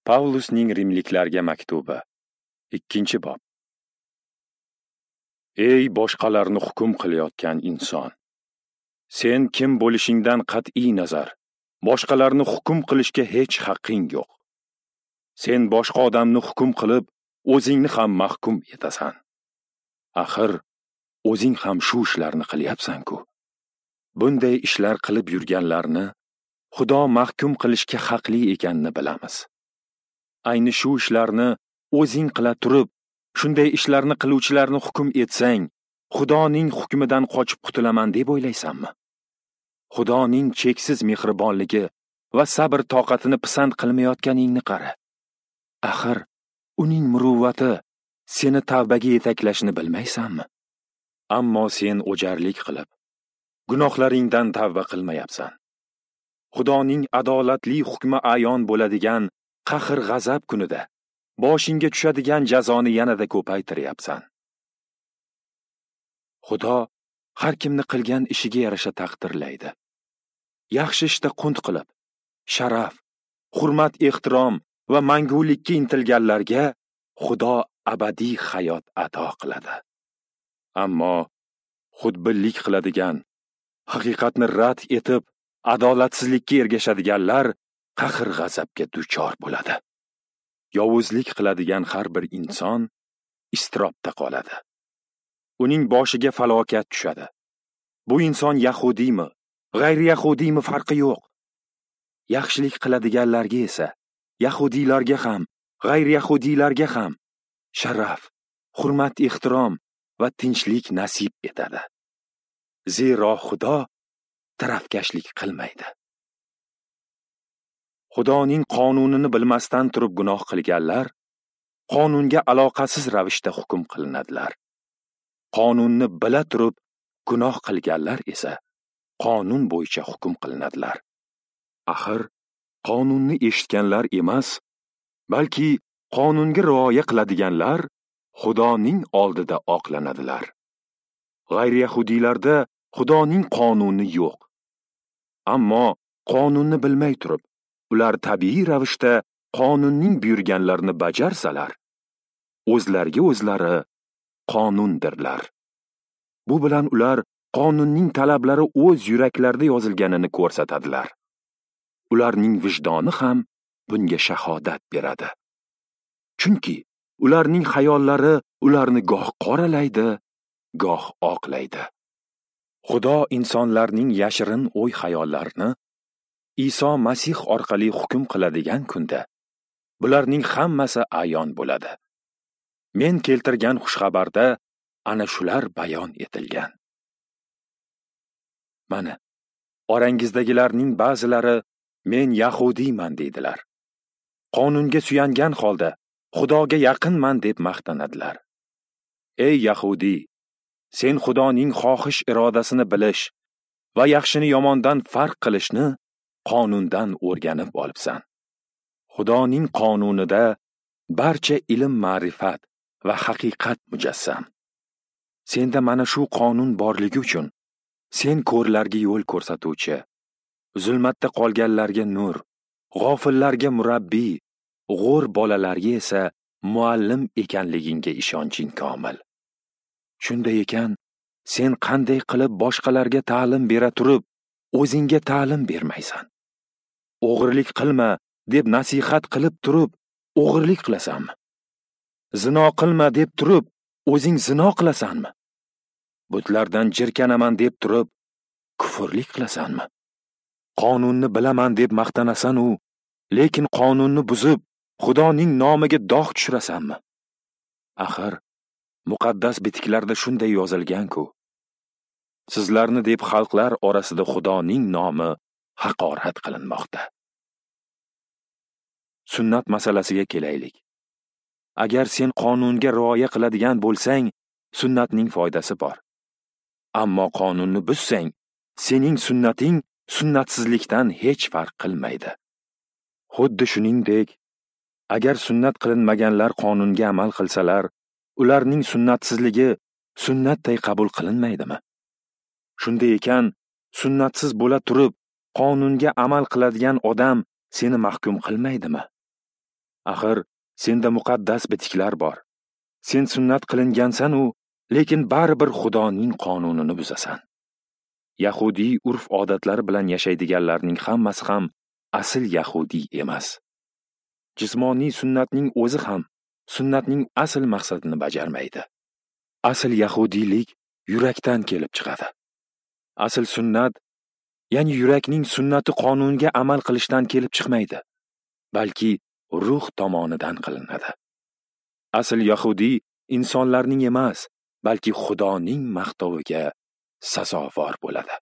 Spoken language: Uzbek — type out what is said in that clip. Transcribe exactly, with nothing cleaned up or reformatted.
Pavlusning Rimliklarga maktubi, ikkinchi bob. Ey boshqalarni hukm qilayotgan inson! Sen kim bo'lishingdan qat'iy nazar, boshqalarni hukm qilishga hech haqqing yo'q. Sen boshqa odamni hukm qilib, o'zingni ham mahkum etasan. Axir, o'zing ham shu ishlarni qilyapsan-ku. Bunday ishlar qilib yurganlarni Xudo mahkum qilishga haqli ekanini bilamiz. Ayni shu ishlarni o'zing qila turib, shunday ishlarni qiluvchilarni hukm etsang, Xudoning hukmidan qochib qutulaman deb o'ylaysanmi? Xudoning cheksiz mehribonligi va sabr toqatini pisand qilmayotganingni qara. Axir, uning muruvvati seni tavbaga yetaklashini bilmaysanmi? Ammo sen o'jarlik qilib, gunohlaringdan tavba qilmayapsan. Xudoning adolatli hukmi ayon bo'ladigan qahr-g'azab kunida boshingga tushadigan jazoni yanada ko'paytiryapsan. Xudo har kimni qilgan ishiga yarasha taqdirlaydi. Yaxshi ishda qunt qilib, sharaf, hurmat, ehtirom va mangulikka intilganlarga Xudo abadiy hayot ato qiladi. Ammo xudbinlik qiladigan, haqiqatni rad etib, adolatsizlikka ergashadiganlar qahr-g'azabga duchor bo'ladi. Yovuzlik qiladigan har bir inson iztirobda qoladi. Uning boshiga falokat tushadi. Bu inson yahudiymi, g'ayri-yahudiymi farqi yo'q. Yaxshilik qiladiganlarga esa, yahudiylarga ham, g'ayri-yahudiylarga ham sharaf, hurmat, ehtirom va tinchlik nasib etadi. Zero Xudo tarafkashlik qilmaydi. Xudoning qonunini bilmasdan turib gunoh qilganlar qonunga aloqasiz ravishda hukm qilinadilar. Qonunni bila turib gunoh qilganlar esa qonun bo'yicha hukm qilinadilar. Axir, qonunni eshitganlar emas, balki qonunga rioya qiladiganlar Xudoning oldida oqlanadilar. G'ayri-yahudiylarda Xudoning qonuni yo'q. Ammo qonunni bilmay turib, ular tabiiy ravishda qonunning buyurganlarini bajarsalar, o'zlariga o'zlari qonundirlar. Bu bilan ular qonunning talablari o'z yuraklarida yozilganini ko'rsatadilar. Ularning vijdoni ham bunga shahodat beradi. Chunki ularning xayollari ularni goh qoralaydi, goh oqlaydi. Xudo insonlarning yashirin o'y-xayollarini Iso Masih orqali hukm qiladigan kunda bularning hammasi ayon bo'ladi. Men keltirgan xushxabarda ana shular bayon etilgan. Mana, orangizdagilarning ba'zilari men yahudiyman deydilar. Qonunga suyangan holda Xudoga yaqinman deb maqtanadilar. Ey yahudiy, sen Xudoning xohish irodasini bilish va yaxshini yomondan farq qilishni qonundan o'rganib olibsan. Xudoning qonunida barcha ilm, ma'rifat va haqiqat mujassam. Senda mana shu qonun borligi uchun sen ko'rlarga yo'l ko'rsatuvchi, zulmatda qolganlarga nur, g'ofillarga murabbiy, g'o'r bolalarga esa muallim ekanligingga ishonching komil. Shunday ekan, sen qanday qilib boshqalarga ta'lim bera turib, o'zingga ta'lim bermaysan? O'g'irlik qilma deb nasihat qilib turib, o'g'irlik qilasanmi? Zino qilma deb turib, o'zing zino qilasanmi? Butlardan jirkanaman deb turib, kufrlik qilasanmi? Qonunni bilaman deb maqtanasan u, lekin qonunni buzib, Xudoning nomiga dog' tushirasanmi? Axir, muqaddas bitiklarda shunday yozilgan-ku. Sizlarni deb xalqlar orasida Xudoning nomi haqorat qilinmoqda. Sunnat masalasiga kelaylik. Agar sen qonunga rioya qiladigan bo'lsang, sunnatning foydasi bor. Ammo qonunni buzsang, sening sunnating sunnatsizlikdan hech farq qilmaydi. Xuddi shuningdek, agar sunnat qilinmaganlar qonunga amal qilsalar, ularning sunnatsizligi sunnatday qabul qilinmaydimi? Shunday ekan, sunnatsiz bo'la turib, qonunga amal qiladigan odam seni mahkum qilmaydimi? Axir senda muqaddas bitiklar bor. Sen sunnat qilingansan-u, lekin baribir Xudoning qonunini buzasan. Yahudiy urf-odatlari bilan yashaydiganlarning hammasi ham asl yahudiy emas. Jismoniy sunnatning o'zi ham sunnatning asl maqsadini bajarmaydi. Asl yahudiylik yurakdan kelib chiqadi. Asl sunnat, ya'ni yurakning sunnati qonunga amal qilishdan kelib chiqmaydi, balki ruh tomonidan qilinadi. Asl yahudiy insonlarning emas, balki Xudoning maqtoviga sazovor bo'ladi.